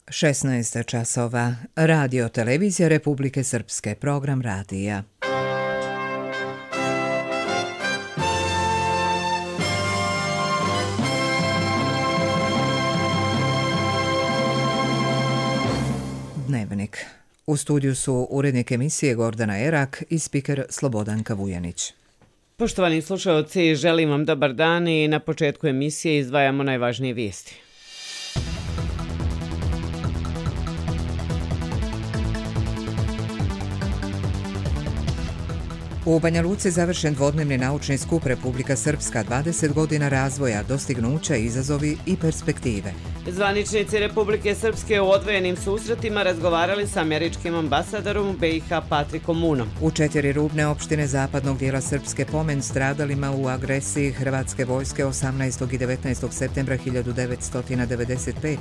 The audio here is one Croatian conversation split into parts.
16 časova. Radio Televizija Republike Srpske. Program radija. Dnevnik. U studiju su urednik emisije Gordana Erak i spiker Slobodanka Vujanić. Poštovani slušalci, želim vam dobar dan i na početku emisije izdvajamo najvažnije vijesti. U Banja Luci završen dvodnevni naučni skup Republika Srpska, 20 godina razvoja, dostignuća, izazovi i perspektive. Zvaničnici Republike Srpske u odvojenim susretima razgovarali sa američkim ambasadorom u BiH Patrikom Munom. U 4 rubne opštine zapadnog dijela Srpske pomen stradalima u agresiji Hrvatske vojske 18. i 19. septembra 1995.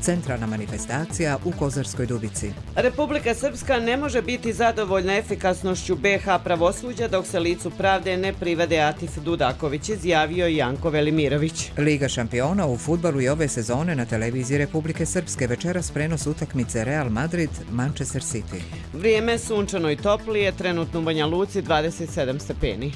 Centralna manifestacija u Kozarskoj Dubici. Republika Srpska ne može biti zadovoljna efikasnošću BiH pravosuđa dok se licu pravde ne privede Atif Dudaković, izjavio Janko Velimirović. Liga šampiona u fudbalu i ove sezone na televiziji Republike Srpske, večeras prenos utakmice Real Madrid Manchester City. Vrijeme sunčano i toplije, trenutno u Banja Luci 27 stepeni.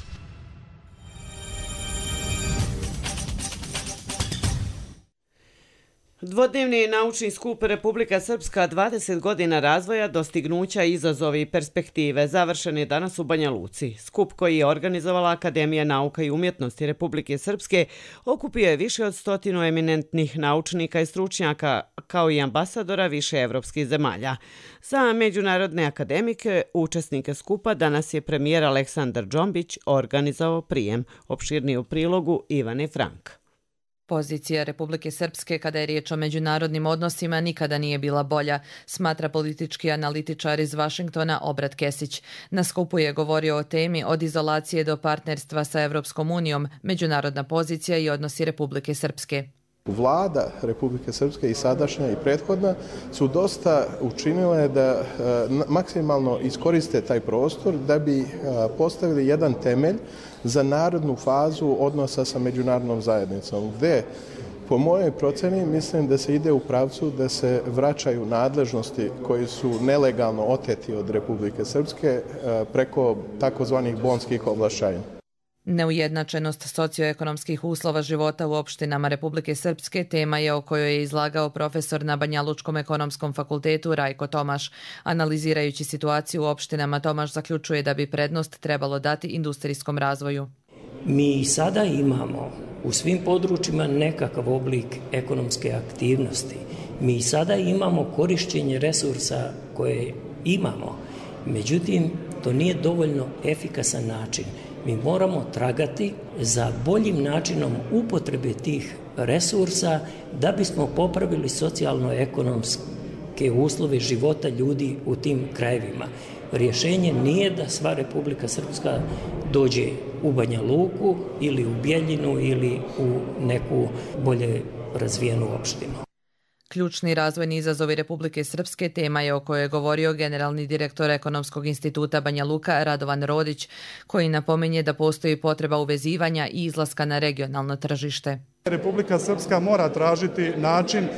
Dvodnevni naučni skup Republika Srpska, 20 godina razvoja, dostignuća, izazovi i perspektive završen je danas u Banja Luci. Skup koji je organizovala Akademija nauka i umjetnosti Republike Srpske okupio je više od 100 eminentnih naučnika i stručnjaka, kao i ambasadora više evropskih zemalja. Za međunarodne akademike, učesnike skupa, danas je premijer Aleksandar Džombić organizovao prijem. Opširniji u prilogu Ivane Frank. Pozicija Republike Srpske kada je riječ o međunarodnim odnosima nikada nije bila bolja, smatra politički analitičar iz Vašingtona Obrat Kesić. Na skupu je govorio o temi od izolacije do partnerstva sa Evropskom unijom, međunarodna pozicija i odnosi Republike Srpske. Vlada Republike Srpske i sadašnja i prethodna su dosta učinile da maksimalno iskoriste taj prostor da bi postavili jedan temelj za narodnu fazu odnosa sa međunarodnom zajednicom, gdje po mojoj proceni mislim da se ide u pravcu da se vraćaju nadležnosti koji su nelegalno oteti od Republike Srpske preko takozvanih bonskih ovlašćenja. Neujednačenost socioekonomskih uslova života u opštinama Republike Srpske tema je o kojoj je izlagao profesor na Banjalučkom ekonomskom fakultetu Rajko Tomaš. Analizirajući situaciju u opštinama, Tomaš zaključuje da bi prednost trebalo dati industrijskom razvoju. Mi sada imamo u svim područjima nekakav oblik ekonomske aktivnosti. Mi sada imamo korišćenje resursa koje imamo. Međutim, to nije dovoljno efikasan način. Mi moramo tragati za boljim načinom upotrebe tih resursa da bismo popravili socijalno-ekonomske uslove života ljudi u tim krajevima. Rješenje nije da sva Republika Srpska dođe u Banja Luku ili u Bjeljinu ili u neku bolje razvijenu opštinu. Ključni razvojni izazovi Republike Srpske tema je o kojoj je govorio generalni direktor Ekonomskog instituta Banja Luka Radovan Rodić, koji napominje da postoji potreba uvezivanja i izlaska na regionalno tržište. Republika Srpska mora tražiti način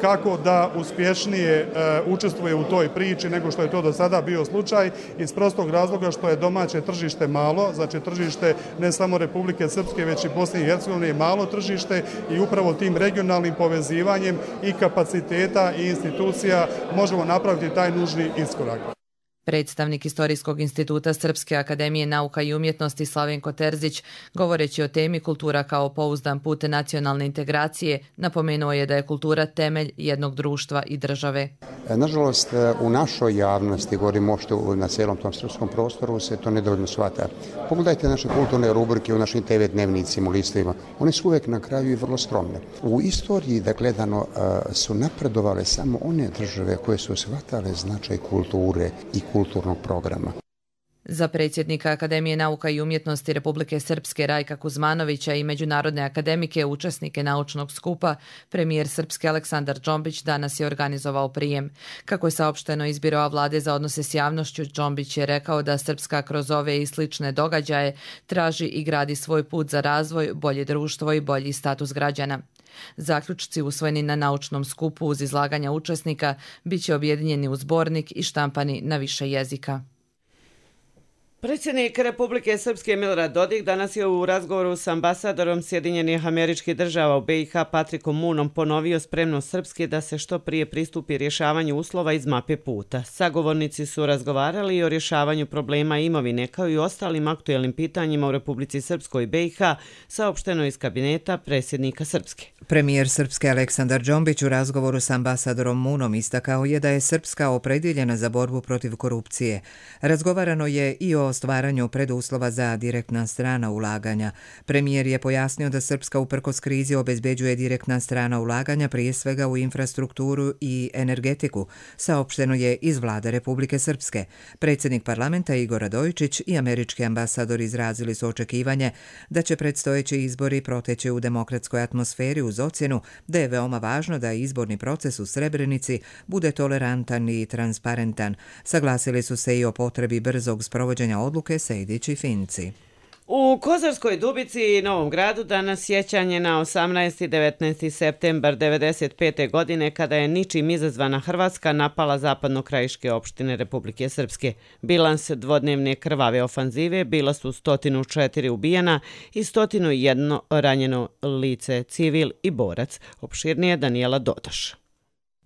kako da uspješnije učestvuje u toj priči nego što je to do sada bio slučaj, iz prostog razloga što je domaće tržište malo, znači tržište ne samo Republike Srpske već i Bosne i Hercegovine je malo tržište i upravo tim regionalnim povezivanjem i kapaciteta i institucija možemo napraviti taj nužni iskorak. Predstavnik Istorijskog instituta Srpske akademije nauka i umjetnosti Slavenko Terzić, govoreći o temi kultura kao pouzdan put nacionalne integracije, napomenuo je da je kultura temelj jednog društva i države. Nažalost, u našoj javnosti, govorimo uopšte na cijelom tom srpskom prostoru, se to nedovoljno shvata. Pogledajte naše kulturne rubrike u našim TV dnevnicima, u listovima. One su uvijek na kraju i vrlo skromne. U istoriji, da gledano, su napredovale samo one države koje su shvatale značaj kulture i kulturnog programa. Za predsjednika Akademije nauka i umjetnosti Republike Srpske Rajka Kuzmanovića i međunarodne akademike, učesnike naučnog skupa, premijer Srpske Aleksandar Džombić danas je organizovao prijem. Kako je saopšteno iz Biroa vlade za odnose s javnošću, Džombić je rekao da Srpska kroz ove i slične događaje traži i gradi svoj put za razvoj, bolje društvo i bolji status građana. Zaključci usvojeni na naučnom skupu uz izlaganja učesnika bit će objedinjeni u zbornik i štampani na više jezika. Predsjednik Republike Srpske Milorad Dodik danas je u razgovoru s ambasadorom Sjedinjenih Američkih Država u BiH Patrikom Moonom ponovio spremnost Srpske da se što prije pristupi rješavanju uslova iz mape puta. Sagovornici su razgovarali i o rješavanju problema imovine kao i ostalim aktuelnim pitanjima u Republici Srpskoj i BiH, saopšteno iz kabineta predsjednika Srpske. Premijer Srpske Aleksandar Džombić u razgovoru s ambasadorom Moonom istakao je da je Srpska opredjeljena za borbu protiv korupcije. Razgovarano je i o stvaranju preduslova za direktna strana ulaganja. Premijer je pojasnio da Srpska uprkos krizi obezbeđuje direktna strana ulaganja prije svega u infrastrukturu i energetiku, saopšteno je iz vlade Republike Srpske. Predsjednik parlamenta Igor Radojičić i američki ambasador izrazili su očekivanje da će predstojeći izbori proteći u demokratskoj atmosferi uz ocjenu da je veoma važno da izborni proces u Srebrenici bude tolerantan i transparentan. Saglasili su se i o potrebi brzog sprovođenja odluke Sejdić i Finci. U Kozarskoj Dubici i Novom Gradu danas sjećanje na 18. i 19. septembar 1995. godine kada je ničim izazvana Hrvatska napala zapadno-krajiške opštine Republike Srpske. Bilans dvodnevne krvave ofanzive bila su 104 ubijena i 101 ranjeno lice, civil i borac. Opširnije Danijela Dodaš.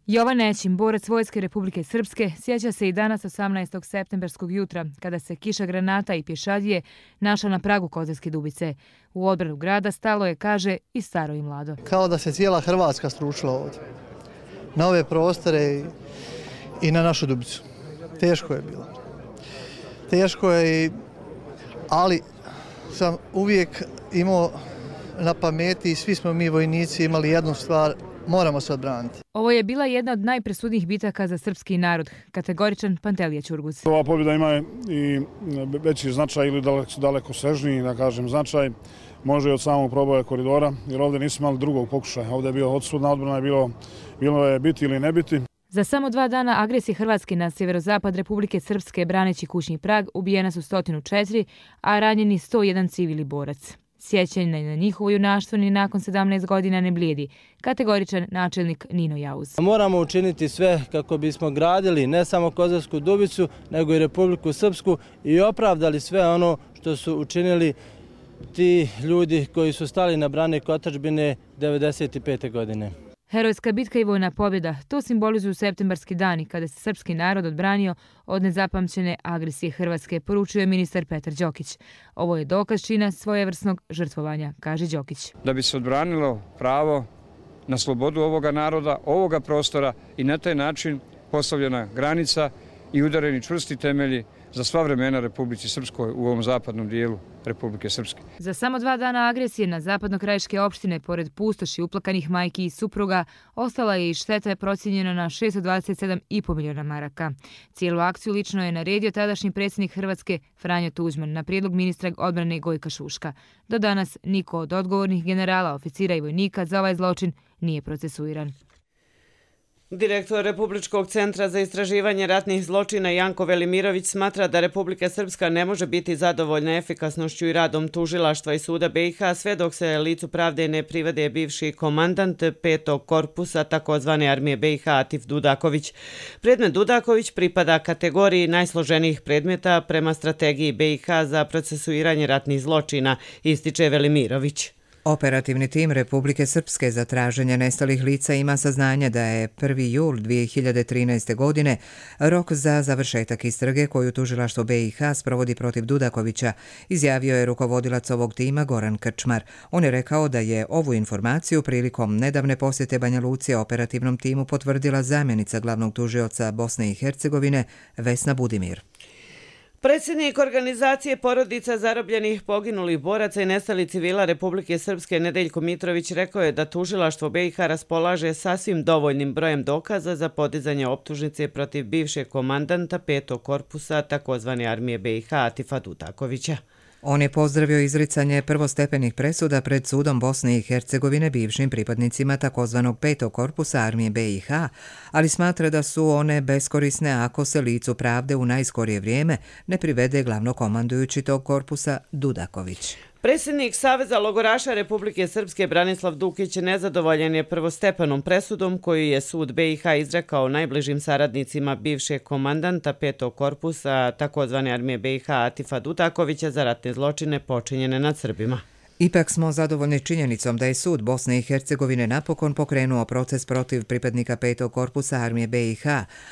Jovan Nećin, borac Vojske Republike Srpske, sjeća se i danas 18. septemberskog jutra, kada se kiša granata i pješadije našla na pragu Kozarske Dubice. U odbranu grada stalo je, kaže, i staro i mlado. Kao da se cijela Hrvatska stručila ovdje, na ove prostore i na našu Dubicu. Teško je bilo. Teško je, ali sam uvijek imao na pameti i svi smo mi vojnici imali jednu stvar, moramo se odbraniti. Ovo je bila jedna od najpresudnijih bitaka za srpski narod, kategoričan Pantelija Ćurguz. Ova pobjeda ima i veći značaj ili daleko sežniji, da kažem, značaj. Može i od samog proboja koridora, jer ovdje nismo imali drugog pokušaja. Ovdje je bio odsudna odbrana, bilo je biti ili ne biti. Za samo 2 dana agresije Hrvatske na sjeverozapad Republike Srpske braneći kućni prag ubijena su 104, a ranjeni 101 civil i borac. Sjećanje na njihovo junaštvo ni nakon 17 godina ne blijedi, kategoričan načelnik Nino Jauz. Moramo učiniti sve kako bismo gradili ne samo Kozarsku Dubicu, nego i Republiku Srpsku i opravdali sve ono što su učinili ti ljudi koji su stali na brani otadžbine 1995. godine. Herojska bitka i vojna pobjeda, to simbolizuju septembarski dani kada se srpski narod odbranio od nezapamćene agresije Hrvatske, poručuje ministar Petar Đokić. Ovo je dokaz čina svojevrsnog žrtvovanja, kaže Đokić. Da bi se odbranilo pravo na slobodu ovoga naroda, ovoga prostora i na taj način postavljena granica i udareni čvrsti temelji za sva vremena Republici Srpskoj u ovom zapadnom dijelu Republike Srpske. Za samo 2 dana agresije na zapadno-krajiške opštine, pored pustoši uplakanih majki i supruga, ostala je i šteta procijenjena na 627,5 miliona maraka. Cijelu akciju lično je naredio tadašnji predsjednik Hrvatske Franjo Tuđman na prijedlog ministra odbrane Gojka Šuška. Do danas niko od odgovornih generala, oficira i vojnika za ovaj zločin nije procesuiran. Direktor Republičkog centra za istraživanje ratnih zločina Janko Velimirović smatra da Republika Srpska ne može biti zadovoljna efikasnošću i radom tužilaštva i suda BiH sve dok se licu pravde ne privede bivši komandant 5. korpusa takozvane armije BiH Atif Dudaković. Predmet Dudaković pripada kategoriji najsloženijih predmeta prema strategiji BiH za procesuiranje ratnih zločina, ističe Velimirović. Operativni tim Republike Srpske za traženje nestalih lica ima saznanje da je 1. jul 2013. godine rok za završetak istrage koju tužilaštvo BiH sprovodi protiv Dudakovića, izjavio je rukovodilac ovog tima Goran Krčmar. On je rekao da je ovu informaciju prilikom nedavne posjete Banja Luci operativnom timu potvrdila zamjenica glavnog tužioca Bosne i Hercegovine Vesna Budimir. Predsjednik organizacije porodica zarobljenih, poginulih boraca i nestalih civila Republike Srpske Nedeljko Mitrović rekao je da tužilaštvo BiH raspolaže sasvim dovoljnim brojem dokaza za podizanje optužnice protiv bivšeg komandanta 5. korpusa takozvane armije BiH Atifa Dutakovića. On je pozdravio izricanje prvostepenih presuda pred sudom Bosne i Hercegovine bivšim pripadnicima takozvanog 5. korpusa armije BiH, ali smatra da su one beskorisne ako se licu pravde u najskorije vrijeme ne privede glavnokomandujući tog korpusa Dudaković. Predsjednik Saveza logoraša Republike Srpske Branislav Dukić nezadovoljan je prvostepenom presudom koju je sud BiH izrekao najbližim saradnicima bivšeg komandanta 5. korpusa takozvane armije BiH Atifa Dutakovića za ratne zločine počinjene nad Srbima. Ipak smo zadovoljni činjenicom da je sud Bosne i Hercegovine napokon pokrenuo proces protiv pripadnika 5. korpusa armije BiH,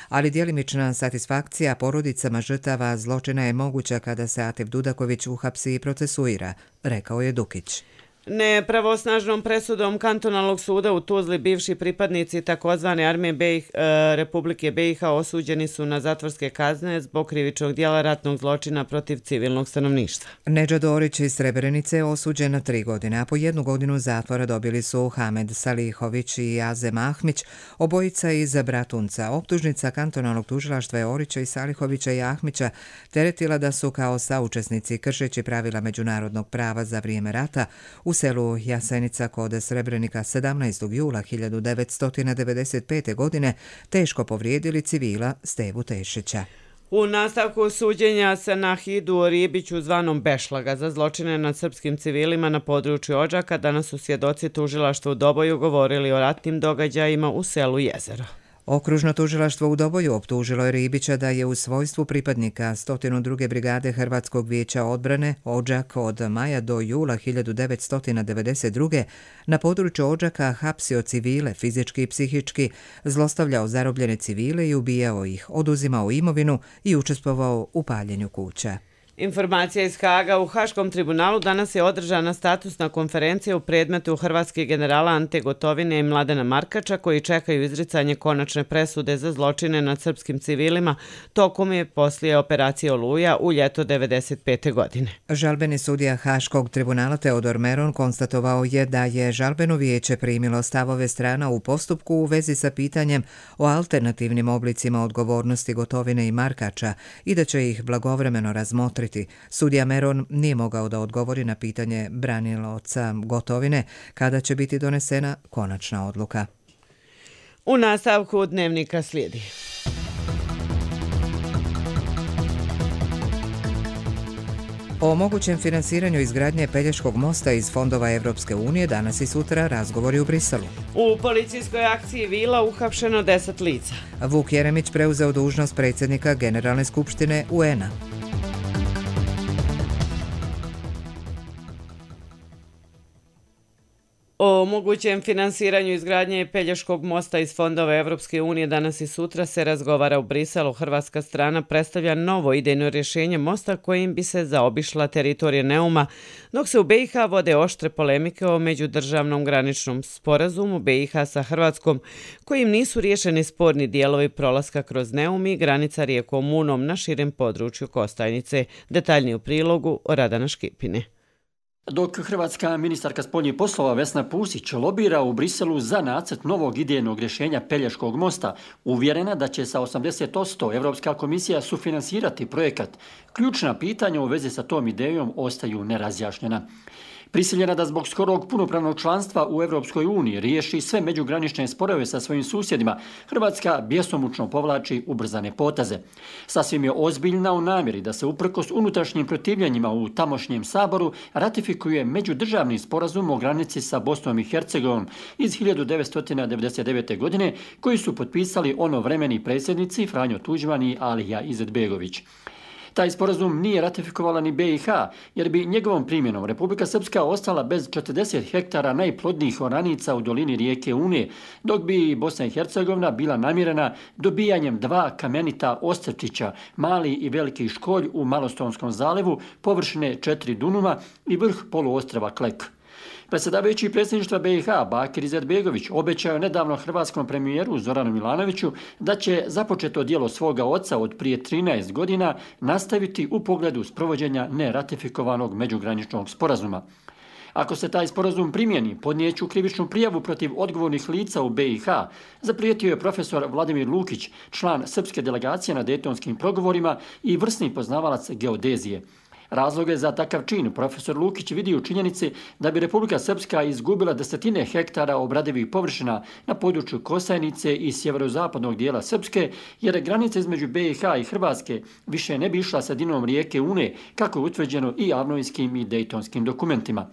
ali djelimična satisfakcija porodicama žrtava zločina je moguća kada se Atif Dudaković uhapsi i procesuira, rekao je Dukić. Nepravosnažnom presudom kantonalnog suda u Tuzli bivši pripadnici takozvane armije Republike BiH osuđeni su na zatvorske kazne zbog krivičnog dijela ratnog zločina protiv civilnog stanovništva. Nedža Dorić iz Srebrenice je osuđen na 3 godine, a po 1 godinu zatvora dobili su Hamed Salihović i Azem Ahmić, obojica iz Bratunca. Optužnica kantonalnog tužilaštva je Orića i Salihovića i Ahmića teretila da su kao saučesnici kršeći pravila međunarodnog prava za vrijeme rata u selu Jasenica kod Srebrenika 17. jula 1995. godine teško povrijedili civila Stevu Tešića. U nastavku suđenja se Nahidu Ribiću zvanom Bešlaga za zločine nad srpskim civilima na području Odžaka danas su svjedoci tužilaštva u Doboju govorili o ratnim događajima u selu Jezero. Okružno tužilaštvo u Doboju optužilo je Ribića da je u svojstvu pripadnika 102. brigade Hrvatskog vijeća odbrane Odžak od maja do jula 1992. na području Odžaka hapsio civile fizički i psihički, zlostavljao zarobljene civile i ubijao ih, oduzimao imovinu i učestvovao u paljenju kuća. Informacija iz Haga. U Haškom tribunalu danas je održana statusna konferencija u predmetu hrvatskih generala Ante Gotovine i Mladena Markača koji čekaju izricanje konačne presude za zločine nad srpskim civilima tokom je poslije operacije Oluja u ljeto 1995. godine. Žalbeni sudija Haškog tribunala Teodor Meron konstatovao je da je žalbeno vijeće primilo stavove strana u postupku u vezi sa pitanjem o alternativnim oblicima odgovornosti Gotovine i Markača i da će ih blagovremeno razmotriti. Sudija Meron nije mogao da odgovori na pitanje branilaca Gotovine kada će biti donesena konačna odluka. U nastavku dnevnika slijedi. O mogućem finansiranju izgradnje Pelješkog mosta iz fondova Evropske unije danas i sutra razgovori u Briselu. U policijskoj akciji Vila uhapšeno 10 lica. Vuk Jeremić preuzeo dužnost predsjednika Generalne skupštine UN-a. O mogućem finansiranju izgradnje Pelješkog mosta iz fondova Evropske unije danas i sutra se razgovara u Briselu. Hrvatska strana predstavlja novo idejno rješenje mosta kojim bi se zaobišla teritorija Neuma, dok se u BiH vode oštre polemike o međudržavnom graničnom sporazumu BiH sa Hrvatskom, kojim nisu riješeni sporni dijelovi prolaska kroz Neum i granica rijekom Unom na širem području Kostajnice. Detaljniji u prilogu Radana Škipine. Dok hrvatska ministarka spoljnih poslova Vesna Pusić lobira u Briselu za nacrt novog idejnog rješenja Pelješkog mosta, uvjerena da će sa 80% Evropska komisija sufinansirati projekat, ključna pitanja u vezi sa tom idejom ostaju nerazjašnjena. Prisiljena da zbog skorog punopravnog članstva u Evropskoj uniji riješi sve međugranične sporove sa svojim susjedima, Hrvatska bjesomučno povlači ubrzane poteze. Sasvim je ozbiljna u namjeri da se uprkos unutrašnjim protivljenjima u tamošnjem saboru ratifikuje međudržavni sporazum o granici sa Bosnom i Hercegovinom iz 1999. godine koji su potpisali onovremeni predsjednici Franjo Tuđman i Alija Izetbegović. Taj sporazum nije ratifikovala ni BiH, jer bi njegovom primjenom Republika Srpska ostala bez 40 hektara najplodnijih oranica u dolini rijeke Une, dok bi Bosna i Hercegovina bila namirena dobijanjem 2 kamenita ostrčića, mali i veliki školj u Malostonskom zalevu, površine 4 dunuma i vrh poluostrva Klek. Predsjedavajući predsjedništva BiH Bakir Izetbegović obećao nedavno hrvatskom premijeru Zoranu Milanoviću da će započeto djelo svoga oca od prije 13 godina nastaviti u pogledu sprovođenja neratifikovanog međugraničnog sporazuma. Ako se taj sporazum primjeni, podnijeću krivičnu prijavu protiv odgovornih lica u BiH, zaprijetio je profesor Vladimir Lukić, član srpske delegacije na dejtonskim pregovorima i vrsni poznavalac geodezije. Razloge za takav čin profesor Lukić vidi u činjenici da bi Republika Srpska izgubila desetine hektara obradivih površina na području Kosajnice i sjeverozapadnog dijela Srpske, jer granica između BiH i Hrvatske više ne bi išla sredinom rijeke Une, kako je utvrđeno i avnojskim i dejtonskim dokumentima.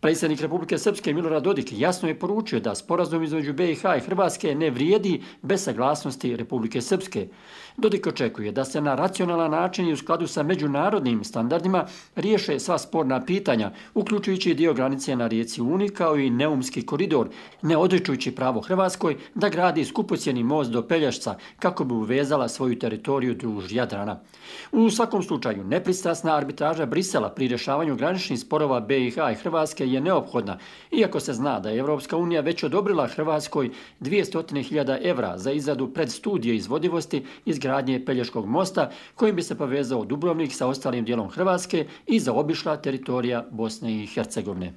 Predsjednik Republike Srpske Milorad Dodik jasno je poručio da sporazum između BiH i Hrvatske ne vrijedi bez saglasnosti Republike Srpske. Dodik očekuje da se na racionalan način i u skladu sa međunarodnim standardima riješe sva sporna pitanja, uključujući dio granice na rijeci Uni kao i Neumski koridor, ne odričujući pravo Hrvatskoj da gradi skupocjeni most do Pelješca kako bi uvezala svoju teritoriju duž Jadrana. U svakom slučaju, nepristrasna arbitraža Brisela pri rješavanju graničnih sporova BiH i Hrvatske je neophodna, iako se zna da je Evropska unija već odobrila Hrvatskoj 200.000 evra za izradu predstudije izvodivosti izgradnje Pelješkog mosta, kojim bi se povezao Dubrovnik sa ostalim dijelom Hrvatske i zaobišla teritorija Bosne i Hercegovine.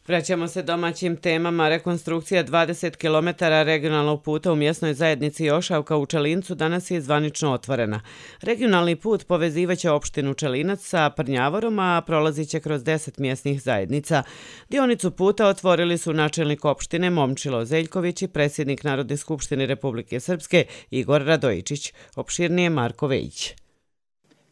Vraćamo se domaćim temama. Rekonstrukcija 20 km regionalnog puta u mjesnoj zajednici Jošavka u Čelincu danas je zvanično otvorena. Regionalni put povezivaće opštinu Čelinac sa Prnjavorom, a prolazit će kroz 10 mjesnih zajednica. Dionicu puta otvorili su načelnik opštine Momčilo Zeljković i predsjednik Narodne skupštine Republike Srpske Igor Radojičić. Opširnije Marko Vejić.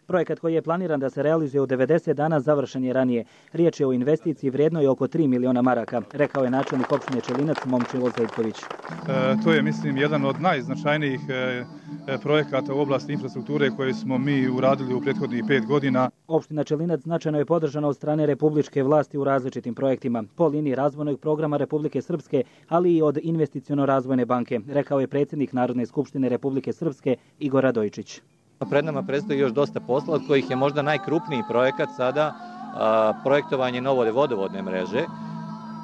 Projekat koji je planiran da se realizuje u 90 dana završen je ranije. Riječ je o investiciji vrijednoj oko 3 miliona maraka, rekao je načelnik opštine Čelinac Momčilo Zeljković. To je, mislim, jedan od najznačajnijih projekata u oblasti infrastrukture koje smo mi uradili u prethodnih 5 godina. Opština Čelinac značajno je podržana od strane republičke vlasti u različitim projektima, po liniji razvojnog programa Republike Srpske, ali i od investiciono-razvojne banke, rekao je predsjednik Narodne skupštine Republike Srpske Igor Radojičić. Pred nama predstoji još dosta posla, od kojih je možda najkrupniji projekat sada projektovanje nove vodovodne mreže.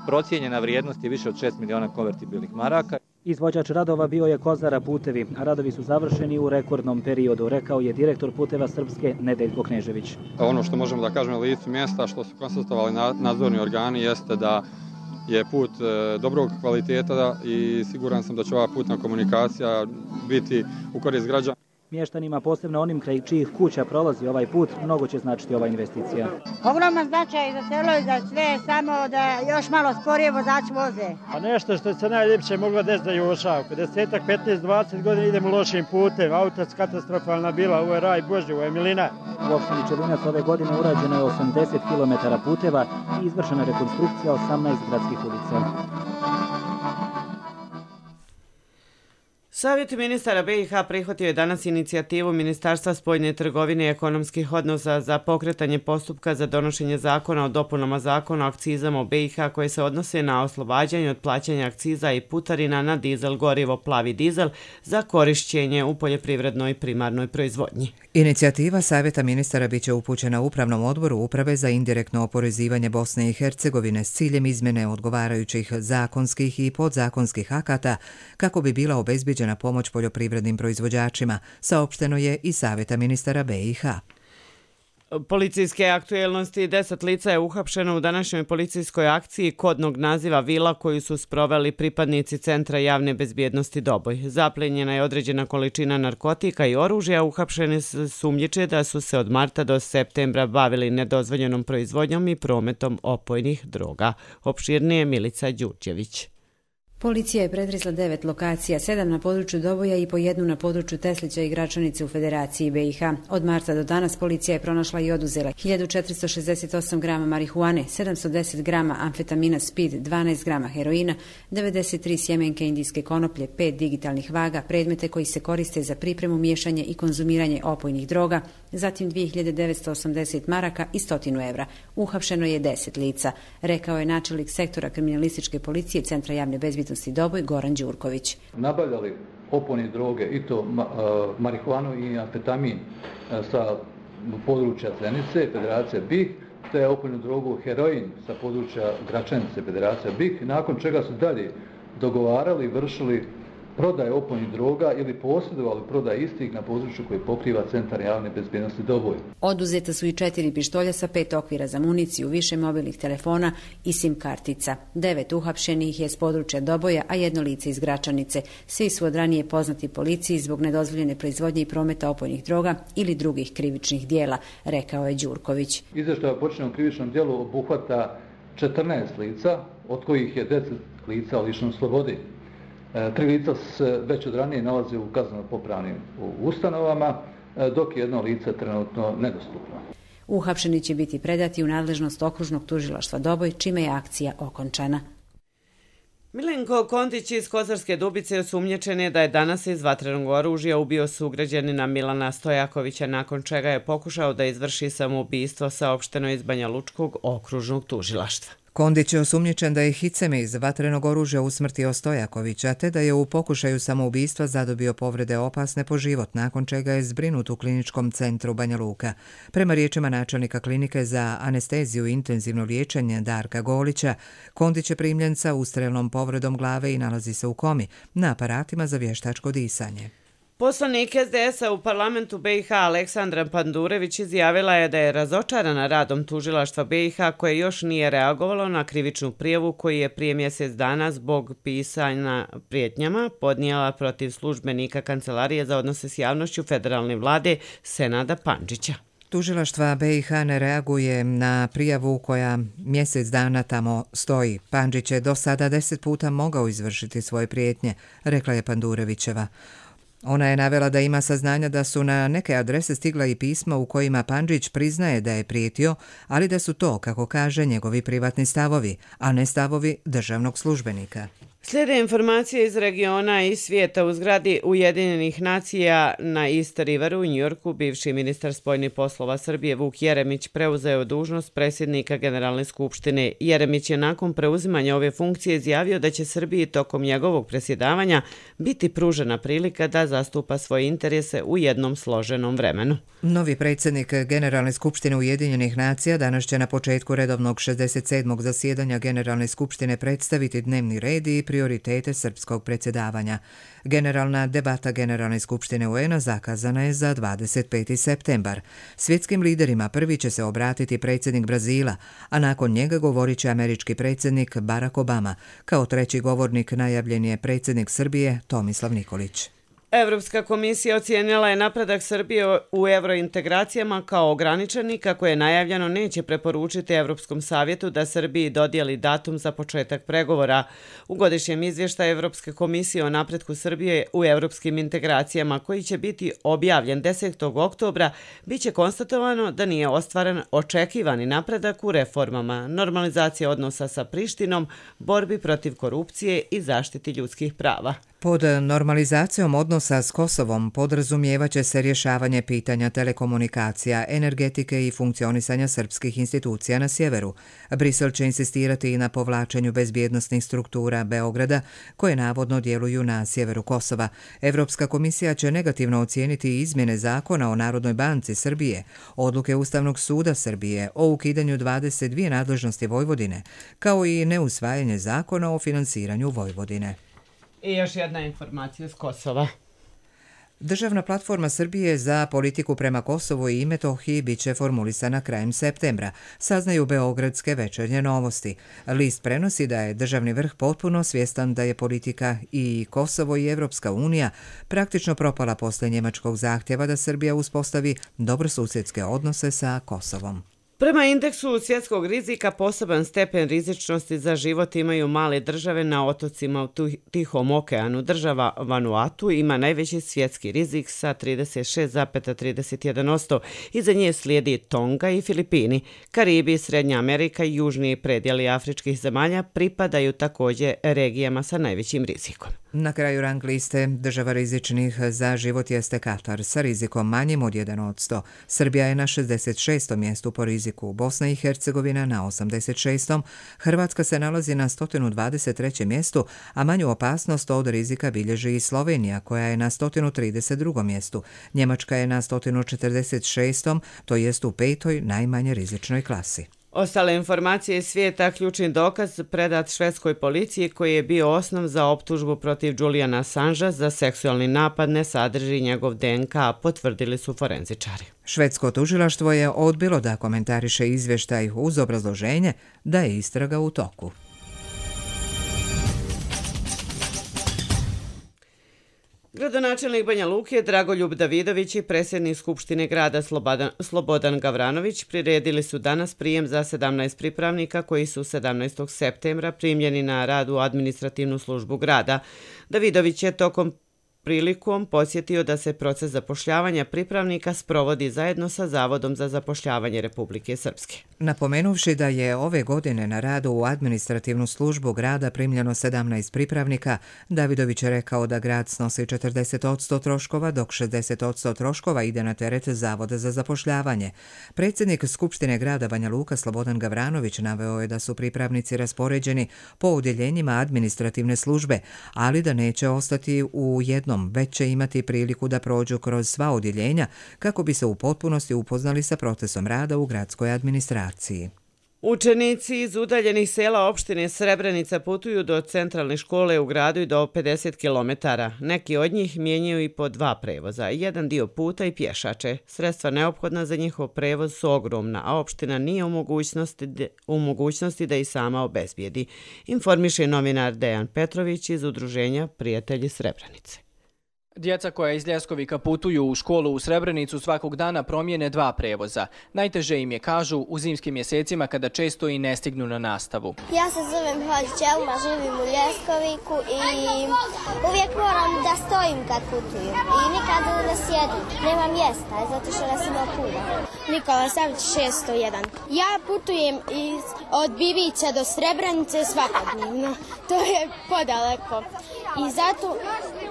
Procijenjena vrijednost je više od 6 miliona konvertibilnih maraka. Izvođač radova bio je Kozara putevi, a radovi su završeni u rekordnom periodu, rekao je direktor puteva Srpske Nedeljko Knežević. Ono što možemo da kažemo na licu mjesta, što su konstatovali nadzorni organi, jeste da je put dobrog kvaliteta i siguran sam da će ova putna komunikacija biti u korist građana. Mještanima, posebno onim kraj čijih kuća prolazi ovaj put, mnogo će značiti ova investicija. Ogroman značaj za selo i za sve, samo da još malo sporije vozači voze. A nešto što se najljepše moglo desiti za Jošavku. 10, 15, 20 godina idemo lošim putem, auto katastrofalna bila, ovo je raj Božji, ovo je milina. U opštini Čelinac ove godine urađeno je 80 km puteva i izvršena rekonstrukcija 18 gradskih ulica. Savjet ministara BiH prihvatio je danas inicijativu Ministarstva spoljne trgovine i ekonomskih odnosa za pokretanje postupka za donošenje zakona o dopunama zakona o akcizama u BiH koje se odnose na oslobađanje od plaćanja akciza i putarina na dizel gorivo plavi dizel za korišćenje u poljoprivrednoj primarnoj proizvodnji. Inicijativa Savjeta ministara biće upućena Upravnom odboru Uprave za indirektno oporezivanje Bosne i Hercegovine s ciljem izmjene odgovarajućih zakonskih i podzakonskih akata kako bi bila obezbijeđena pomoć poljoprivrednim proizvođačima, saopšteno je i Savjeta ministara BiH. Policijske aktuelnosti: 10 lica je uhapšeno u današnjoj policijskoj akciji kodnog naziva Vila koju su sproveli pripadnici Centra javne bezbjednosti Doboj. Zaplenjena je određena količina narkotika i oružja, uhapšene sumnjiče da su se od marta do septembra bavili nedozvoljenom proizvodnjom i prometom opojnih droga. Opširnije Milica Đurđević. Policija je pretresla 9 lokacija, 7 na području Doboja i po jednu na području Teslića i Gračanice u Federaciji BiH. Od marta do danas policija je pronašla i oduzela 1468 grama marihuane, 710 grama amfetamina speed, 12 grama heroina, 93 sjemenke indijske konoplje, 5 digitalnih vaga, predmete koji se koriste za pripremu, miješanje i konzumiranje opojnih droga, zatim 2980 maraka i 100 evra. Uhapšeno je 10 lica, rekao je načelnik sektora kriminalističke policije Centra javne bezbjednosti Doboj Goran Đurković. Nabavljali opojne droge i to marihuanu i amfetamin sa područja Zenice, Federacija BiH te opojnu drogu heroin sa područja Gračanice, Federacija BiH, nakon čega su dalje dogovarali i vršili prodaje opojnih droga ili posjedovali prodaje istih na području koje pokriva Centar javne bezbjednosti Doboj. Oduzeta su i 4 pištolja sa 5 okvira za municiju, više mobilnih telefona i SIM kartica. 9 uhapšenih je s područja Doboja, a 1 lice iz Gračanice. Svi su od ranije poznati policiji zbog nedozvoljene proizvodnje i prometa opojnih droga ili drugih krivičnih dijela, rekao je Đurković. Izvještaj o počinjenom krivičnom djelu obuhvata 14 lica, od kojih je 10 lica lišenom slobode. 3 lica se već od ranije nalaze u kazneno-popravnim ustanovama, dok je 1 lice trenutno nedostupno. Uhapšeni će biti predati u nadležnost okružnog tužilaštva Doboj, čime je akcija okončana. Milenko Kontić iz Kozarske Dubice osumnjičen je da je danas iz vatrenog oružja ubio sugrađanina Milana Stojakovića, nakon čega je pokušao da izvrši samoubistvo, saopšteno iz Banja Lučkog okružnog tužilaštva. Kondić je osumnjičen da je hiceme iz vatrenog oružja usmrtio Stojakovića, te da je u pokušaju samoubistva zadobio povrede opasne po život, nakon čega je zbrinut u kliničkom centru Banja Luka. Prema riječima načelnika klinike za anesteziju i intenzivno liječenje Darka Golića, Kondić je primljen sa ustrelnom povredom glave i nalazi se u komi, na aparatima za vještačko disanje. Poslanik SDS-a u parlamentu BiH Aleksandra Pandurević izjavila je da je razočarana radom tužilaštva BiH koje još nije reagovalo na krivičnu prijavu koju je prije mjesec dana zbog pisanja prijetnjama podnijela protiv službenika Kancelarije za odnose s javnošću federalne vlade Senada Pandžića. Tužilaštva BiH ne reaguje na prijavu koja mjesec dana tamo stoji. Pandžić je do sada 10 puta mogao izvršiti svoje prijetnje, rekla je Pandurevićeva. Ona je navela da ima saznanja da su na neke adrese stigla i pisma u kojima Pandžić priznaje da je prijetio, ali da su to, kako kaže, njegovi privatni stavovi, a ne stavovi državnog službenika. Slijede informacije iz regiona i svijeta. U zgradi Ujedinjenih nacija na East Riveru u Njujorku bivši ministar spoljnih poslova Srbije Vuk Jeremić preuzeo dužnost predsjednika Generalne skupštine. Jeremić je nakon preuzimanja ove funkcije izjavio da će Srbiji tokom njegovog predsjedavanja biti pružena prilika da zastupa svoje interese u jednom složenom vremenu. Novi predsjednik Generalne skupštine Ujedinjenih nacija danas će na početku redovnog 67. zasjedanja Generalne skupštine predstaviti dnevni red i prioritete srpskog predsjedavanja. Generalna debata Generalne skupštine UN-a zakazana je za 25. septembar. Svjetskim liderima prvi će se obratiti predsjednik Brazila, a nakon njega govorit će američki predsjednik Barack Obama. Kao treći govornik najavljen je predsjednik Srbije Tomislav Nikolić. Evropska komisija ocijenila je napredak Srbije u evrointegracijama kao ograničen i kako je najavljeno neće preporučiti Evropskom savjetu da Srbiji dodijeli datum za početak pregovora. U godišnjem izvještaju Evropske komisije o napretku Srbije u evropskim integracijama koji će biti objavljen 10. oktobra biće konstatovano da nije ostvaren očekivani napredak u reformama, normalizacija odnosa sa Prištinom, borbi protiv korupcije i zaštiti ljudskih prava. Pod normalizacijom odnosa s Kosovom podrazumijevaće se rješavanje pitanja telekomunikacija, energetike i funkcionisanja srpskih institucija na sjeveru. Brisel će insistirati i na povlačenju bezbjednosnih struktura Beograda koje navodno djeluju na sjeveru Kosova. Evropska komisija će negativno ocijeniti izmjene zakona o Narodnoj banci Srbije, odluke Ustavnog suda Srbije o ukidanju 22 nadležnosti Vojvodine, kao i neusvajanje zakona o finansiranju Vojvodine. I još jedna informacija s Kosova. Državna platforma Srbije za politiku prema Kosovu i Metohiji biće formulisana krajem septembra, saznaju beogradske večernje novosti. List prenosi da je državni vrh potpuno svjestan da je politika i Kosovo i Evropska unija praktično propala posle njemačkog zahtjeva da Srbija uspostavi dobrosusjedske odnose sa Kosovom. Prema indeksu svjetskog rizika poseban stepen rizičnosti za život imaju male države na otocima u Tihom okeanu. Država Vanuatu ima najveći svjetski rizik sa 36,31%. Iza nje slijedi Tonga i Filipini. Karibi, Srednja Amerika i južni predjeli afričkih zemalja pripadaju također regijama sa najvećim rizikom. Na kraju rang liste država rizičnih za život jeste Katar sa rizikom manjim od 1%. Srbija je na 66. mjestu po riziku, Bosna i Hercegovina na 86. Hrvatska se nalazi na 123. mjestu, a manju opasnost od rizika bilježi i Slovenija koja je na 132. mjestu. Njemačka je na 146. to jest u 5. najmanje rizičnoj klasi. Ostale informacije iz svijeta, ključni dokaz predat švedskoj policiji koji je bio osnov za optužbu protiv Juliana Assangea za seksualni napad ne sadrži njegov DNK, potvrdili su forenzičari. Švedsko tužilaštvo je odbilo da komentariše izvještaj uz obrazloženje da je istraga u toku. Gradonačelnik Banja Luke Dragoljub Davidović i predsjednik Skupštine grada Slobodan Gavranović priredili su danas prijem za 17 pripravnika koji su 17. septembra primljeni na rad u administrativnu službu grada. Davidović je tokom prilikom podsjetio da se proces zapošljavanja pripravnika sprovodi zajedno sa Zavodom za zapošljavanje Republike Srpske. Napomenuvši da je ove godine na radu u administrativnu službu grada primljeno 17 pripravnika, Davidović je rekao da grad snosi 40% troškova, dok 60% troškova ide na teret Zavoda za zapošljavanje. Predsjednik Skupštine grada Banja Luka Slobodan Gavranović naveo je da su pripravnici raspoređeni po odjeljenjima administrativne službe, ali da neće ostati u jednom, već će imati priliku da prođu kroz sva odjeljenja kako bi se u potpunosti upoznali sa procesom rada u gradskoj administraciji. Učenici iz udaljenih sela opštine Srebrenica putuju do centralne škole u gradu i do 50 km. Neki od njih mijenjaju i po 2 prevoza, jedan dio puta i pješače. Sredstva neophodna za njihov prevoz su ogromna, a opština nije u mogućnosti da ih sama obezbijedi, informiše novinar Dejan Petrović iz udruženja Prijatelji Srebrenice. Djeca koja iz Ljeskovika putuju u školu u Srebrenicu svakog dana promijene 2 prevoza. Najteže im je, kažu, u zimskim mjesecima kada često i ne stignu na nastavu. Ja se zovem Hođić Elma, živim u Ljeskoviku i uvijek moram da stojim kad putujem i nikad ne sjedim. Nema mjesta, zato što nas ima puno. Nikola Savić 601. Ja putujem od Bibića do Srebrenice svakodnevno. To je podaleko. I zato,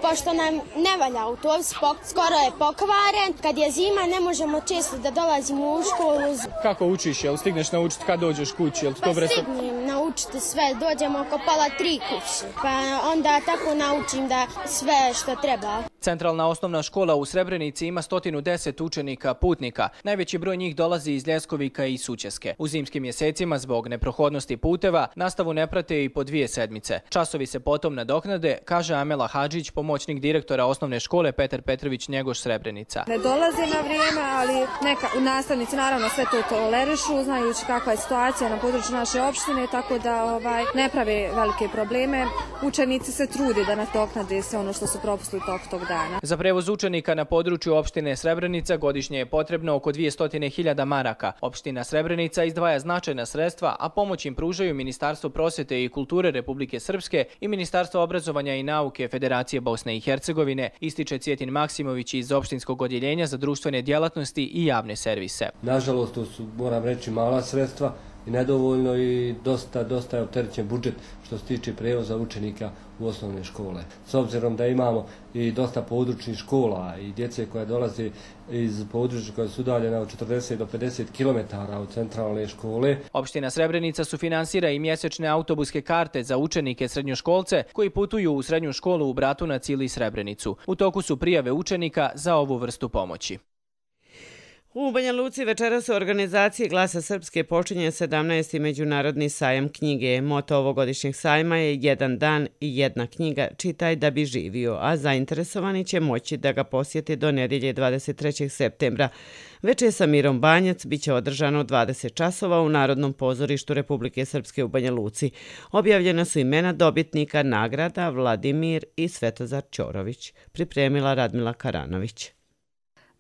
pošto nam ne valja autobus, skoro je pokvaren. Kad je zima, ne možemo često da dolazimo u školu. Kako učiš? Jel stigneš naučiti kad dođeš kući? Stignem naučiti sve. Dođemo oko 2:30 kući. Pa onda tako naučim da sve što treba. Centralna osnovna škola u Srebrenici ima 110 učenika putnika. Najveći broj njih dolazi iz Ljeskovika i Sućeske. U zimskim mjesecima zbog neprohodnosti puteva nastavu ne prate i po 2 sedmice. Časovi se potom nadoknade, kaže Amela Hadžić, pomoćnik direktora osnovne škole Petar Petrović Njegoš Srebrenica. Ne dolaze na vrijeme, ali nastavnici naravno sve to tolerišu, znajući kakva je situacija na području naše opštine, tako da ne prave velike probleme. Učenici se trude da nadoknade sve ono što su propustili tog dana. Za prevoz učenika na području opštine Srebrenica godišnje je potrebno oko 200.000 maraka. Opština Srebrenica izdvaja značajna sredstva, a pomoć im pružaju Ministarstvo prosvjete i kulture Republike Srpske i Ministarstvo obrazovanja i nauke Federacije Bosne i Hercegovine, ističe Cvjetin Maksimović iz opštinskog odjeljenja za društvene djelatnosti i javne servise. Nažalost, to su, moram reći, mala sredstva i nedovoljno i dosta je opterećen budžet što se tiče prevoza učenika u osnovne škole. S obzirom da imamo i dosta područnih škola i djece koja dolaze iz područja koja su udaljena od 40 do 50 km od centralne škole. Opština Srebrenica sufinansira i mjesečne autobuske karte za učenike srednjoškolce koji putuju u srednju školu u Bratunac ili Srebrenicu. U toku su prijave učenika za ovu vrstu pomoći. U Banja Luci večeras u organizaciji Glasa Srpske počinje 17. Međunarodni sajam knjige. Moto ovogodišnjeg sajma je jedan dan i jedna knjiga, čitaj da bi živio, a zainteresovani će moći da ga posjeti do nedjelje 23. septembra. Večer sa Mirom Banjac biće održano 20 časova u Narodnom pozorištu Republike Srpske u Banja Luci. Objavljena su imena dobitnika nagrada Vladimir i Svetozar Ćorović, pripremila Radmila Karanović.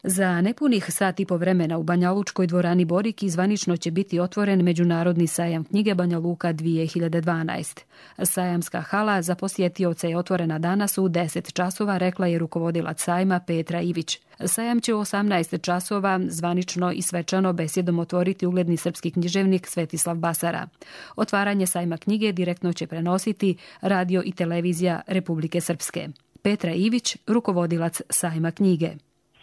Za nepunih sat i po vremena u Banja Lučkoj dvorani Boriki zvanično će biti otvoren Međunarodni sajam knjige Banja Luka 2012. Sajamska hala za posjetioce je otvorena danas u 10 časova, rekla je rukovodilac sajma Petra Ivić. Sajam će u 18 časova zvanično i svečano besjedom otvoriti ugledni srpski književnik Svetislav Basara. Otvaranje sajma knjige direktno će prenositi radio i televizija Republike Srpske. Petra Ivić, rukovodilac sajma knjige.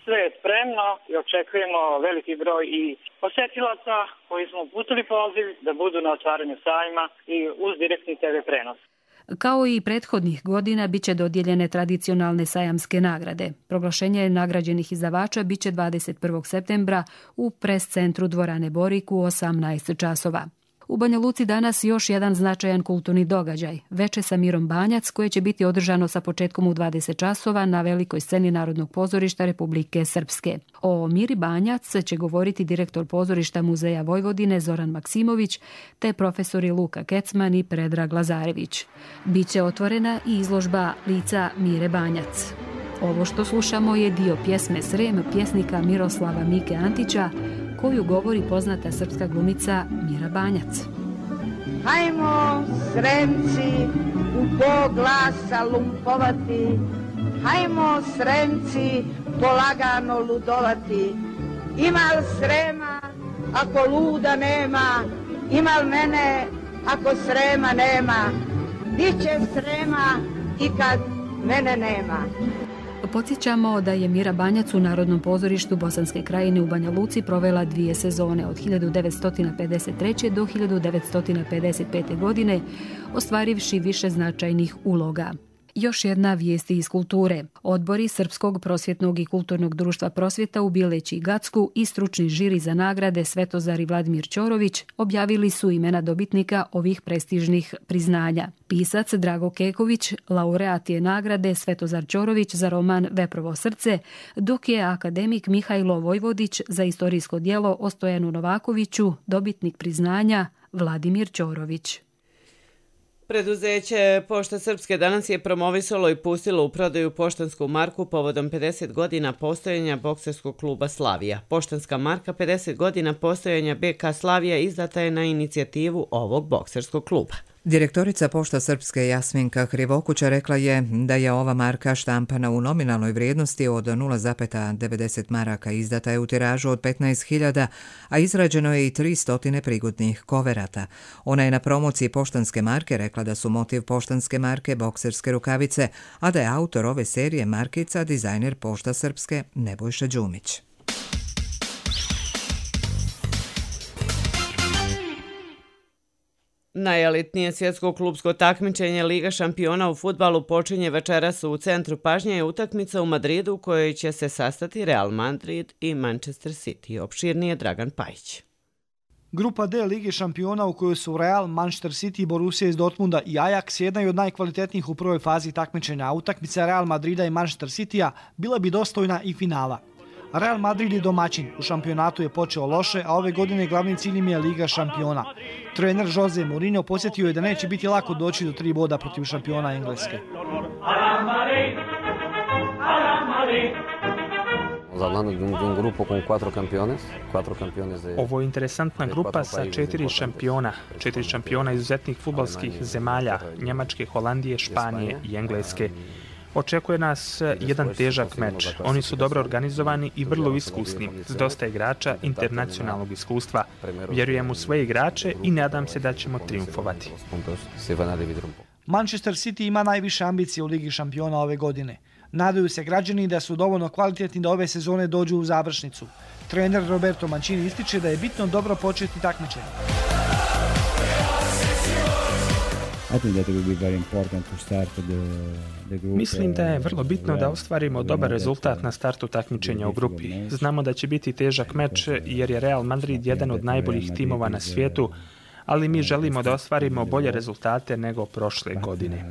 Sve je spremno i očekujemo veliki broj i posjetilaca koji smo uputili poziv da budu na otvaranju sajma i uz direktni TV prenos. Kao i prethodnih godina biće dodijeljene tradicionalne sajamske nagrade. Proglašenje nagrađenih izdavača biće 21. septembra u pres centru Dvorane Borik u 18 časova. U Banja Luci danas još jedan značajan kulturni događaj, veče sa Mirom Banjac, koje će biti održano sa početkom u 20 časova na velikoj sceni Narodnog pozorišta Republike Srpske. O Miri Banjac će govoriti direktor pozorišta Muzeja Vojvodine Zoran Maksimović te profesori Luka Kecman i Predrag Lazarević. Biće otvorena i izložba lica Mire Banjac. Ovo što slušamo je dio pjesme Srem pjesnika Miroslava Mike Antića, koju govori poznata srpska glumica Mira Banjac. Hajmo, Sremci, u Bog glasa lumpovati, hajmo, Sremci, polagano ludovati. Imal Srema, ako luda nema, imal mene, ako Srema nema. Biće Srema i kad mene nema. Podsjećamo da je Mira Banjac u Narodnom pozorištu Bosanske Krajine u Banja Luci provela 2 sezone od 1953. do 1955. godine, ostvarivši više značajnih uloga. Još jedna vijest iz kulture. Odbori Srpskog prosvjetnog i kulturnog društva Prosvjeta u Bileći i Gacku i stručni žiri za nagrade Svetozar i Vladimir Ćorović objavili su imena dobitnika ovih prestižnih priznanja. Pisac Drago Keković laureat je nagrade Svetozar Ćorović za roman Veprovo srce, dok je akademik Mihajlo Vojvodić za istorijsko djelo o Stojanu Novakoviću dobitnik priznanja Vladimir Ćorović. Preduzeće Pošta Srpske danas je promovisalo i pustilo u prodaju poštansku marku povodom 50 godina postojanja bokserskog kluba Slavija. Poštanska marka 50 godina postojanja BK Slavija izdata je na inicijativu ovog bokserskog kluba. Direktorica Pošta Srpske Jasminka Krivokuća rekla je da je ova marka štampana u nominalnoj vrijednosti od 0,90 maraka, izdata je u tiražu od 15.000, a izrađeno je i 300 prigodnih koverata. Ona je na promociji poštanske marke rekla da su motiv poštanske marke bokserske rukavice, a da je autor ove serije markica dizajner Pošta Srpske Nebojša Đumić. Najelitnije svjetsko klubsko takmičenje Liga šampiona u fudbalu počinje večeras u centru pažnje je utakmica u Madridu u kojoj će se sastati Real Madrid i Manchester City. Opširnije Dragan Pajić. Grupa D Lige šampiona u kojoj su Real, Manchester City, Borussia iz Dortmunda i Ajax jedna od najkvalitetnijih u prvoj fazi takmičenja. Utakmica Real Madrida i Manchester Citya bila bi dostojna i finala. Real Madrid je domaćin, u šampionatu je počeo loše, a ove godine glavni cilj im je Liga šampiona. Trener Jose Mourinho posjetio je da neće biti lako doći do 3 boda protiv šampiona Engleske. Ovo je interesantna grupa sa 4 šampiona. 4 šampiona izuzetnih fudbalskih zemalja, Njemačke, Holandije, Španije i Engleske. Očekuje nas jedan težak meč. Oni su dobro organizovani i vrlo iskusni, s dosta igrača internacionalnog iskustva. Vjerujem u svoje igrače i nadam se da ćemo triumfovati. Manchester City ima najviše ambicije u Ligi šampiona ove godine. Nadaju se građani da su dovoljno kvalitetni da ove sezone dođu u završnicu. Trener Roberto Mancini ističe da je bitno dobro početi takmičenje. Mislim da je vrlo bitno da ostvarimo dobar rezultat na startu takmičenja u grupi. Znamo da će biti težak meč jer je Real Madrid jedan od najboljih timova na svijetu, ali mi želimo da ostvarimo bolje rezultate nego prošle godine.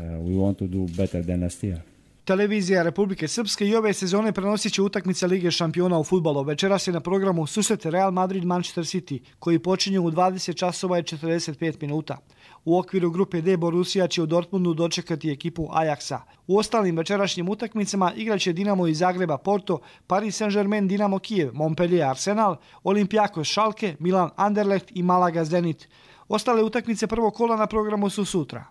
Televizija Republike Srpske i ove sezone prenosit će utakmice Lige šampiona u fudbalu. Večeras je na programu susret Real Madrid-Manchester City, koji počinje u 20 časova i 45 minuta. U okviru grupe D Borussia će u Dortmundu dočekati ekipu Ajaxa. U ostalim večerašnjim utakmicama igraće Dinamo iz Zagreba Porto, Paris Saint-Germain Dinamo Kijev, Montpellier Arsenal, Olympiakos Schalke, Milan Anderlecht i Malaga Zenit. Ostale utakmice prvog kola na programu su sutra.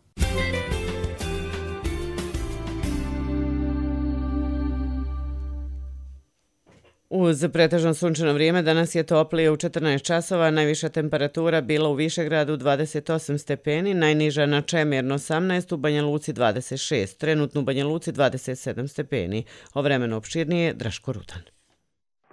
Uz pretežno sunčano vrijeme danas je toplije u 14 časova, najviša temperatura bila u Višegradu 28 stepeni, najniža na Čemirno 18, u Banja Luci 26, trenutno u Banja Luci 27 stepeni. O vremenu opširnije Draško Rutan.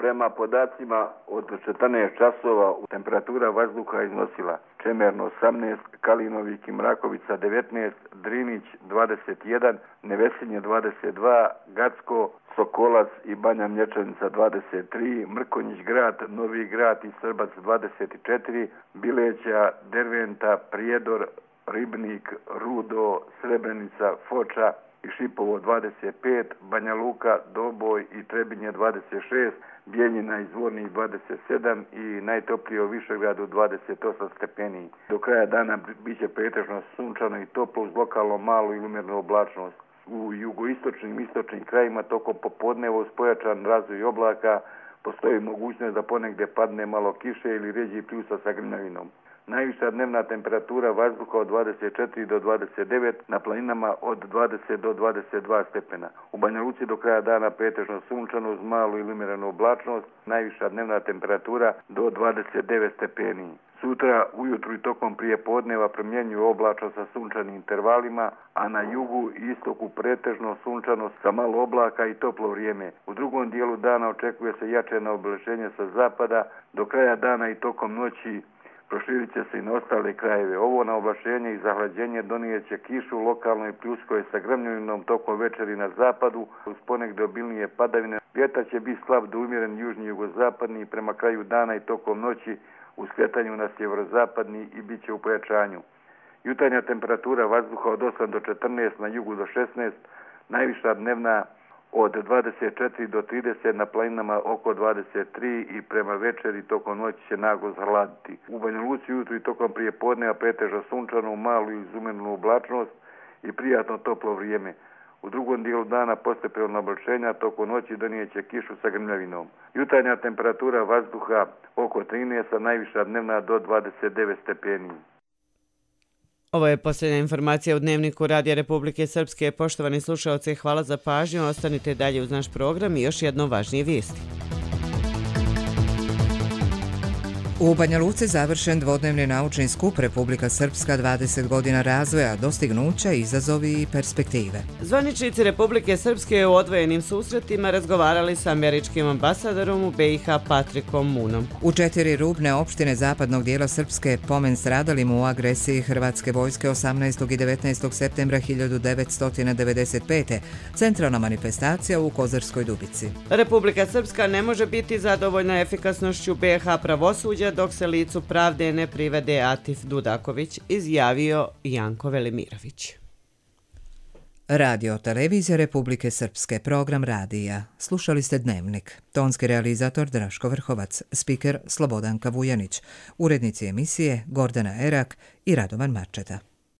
Prema podacima od 14 časova temperatura vazduha iznosila Čemerno 18, Kalinovik i Mrakovica 19, Drinić 21, Nevesinje 22, Gacko, Sokolac i Banja Mlječanica 23, Mrkonjić grad, Novi grad i Srbac 24, Bileća, Derventa, Prijedor, Ribnik, Rudo, Srebrenica, Foča i Šipovo 25, Banja Luka, Doboj i Trebinje 26, Bijeljina i Zvornik 27 i najtoplije u Višegradu 28 stepeni. Do kraja dana biće pretežno sunčano i toplo uz lokalno malu ili umjernu oblačnost. U jugoistočnim i istočnim krajima tokom popodneva uz pojačan razvoj oblaka postoji mogućnost da ponegdje padne malo kiše ili rjeđi pljusa sa grmljavinom. Najviša dnevna temperatura vazduha od 24 do 29, na planinama od 20 do 22 stepena. U Banja Luci do kraja dana pretežno sunčano uz malu ili umjerenu oblačnost, najviša dnevna temperatura do 29 stepeni. Sutra ujutru i tokom prije podneva promjenjuju oblačno sa sunčanim intervalima, a na jugu i istoku pretežno sunčano sa malo oblaka i toplo vrijeme. U drugom dijelu dana očekuje se jače naoblačenje sa zapada, do kraja dana i tokom noći proširit će se i na ostale krajeve. Ovo naoblačenje i zahlađenje donijet će kišu lokalno i pljuskoje sa grmljavinom tokom večeri na zapadu, uz ponegdje obilnije padavine. Vjetar će biti slab do umjeren južni jugozapadni prema kraju dana i tokom noći u skretanju na sjeverozapadni i bit će u pojačanju. Jutarnja temperatura vazduha od 8 do 14, na jugu do 16, najviša dnevna od 24 do 30, na planinama oko 23 i prema večeri tokom noći će naglo zahladiti. U Banja Luci ujutru i tokom prije podneva pretežno sunčano, malu i izumjernu oblačnost i prijatno toplo vrijeme. U drugom dijelu dana postepeno naoblačenja tokom noći donijet će kišu sa grmljavinom. Jutarnja temperatura vazduha oko 13, a najviša dnevna do 29 stepeni. Ovo je posljednja informacija u Dnevniku Radija Republike Srpske. Poštovani slušalci, hvala za pažnju. Ostanite dalje uz naš program i još jedno važnije vijesti. U Banja Luci završen dvodnevni naučni skup Republika Srpska 20 godina razvoja, dostignuća, izazovi i perspektive. Zvaničnici Republike Srpske u odvojenim susretima razgovarali sa američkim ambasadorom u BiH Patrikom Munom. U 4 rubne opštine zapadnog dijela Srpske pomen stradalim u agresiji Hrvatske vojske 18. i 19. septembra 1995. Centralna manifestacija u Kozarskoj Dubici. Republika Srpska ne može biti zadovoljna efikasnošću BiH pravosuđa dok se licu pravde ne privede Atif Dudaković, izjavio Janko Velimirović. Radio televizija Republike Srpske, program radija. Slušali ste Dnevnik. Tonski realizator Draško Vrhovac, spiker Slobodanka Vujanić, urednici emisije Gordana Erak i Radovan Marčeta.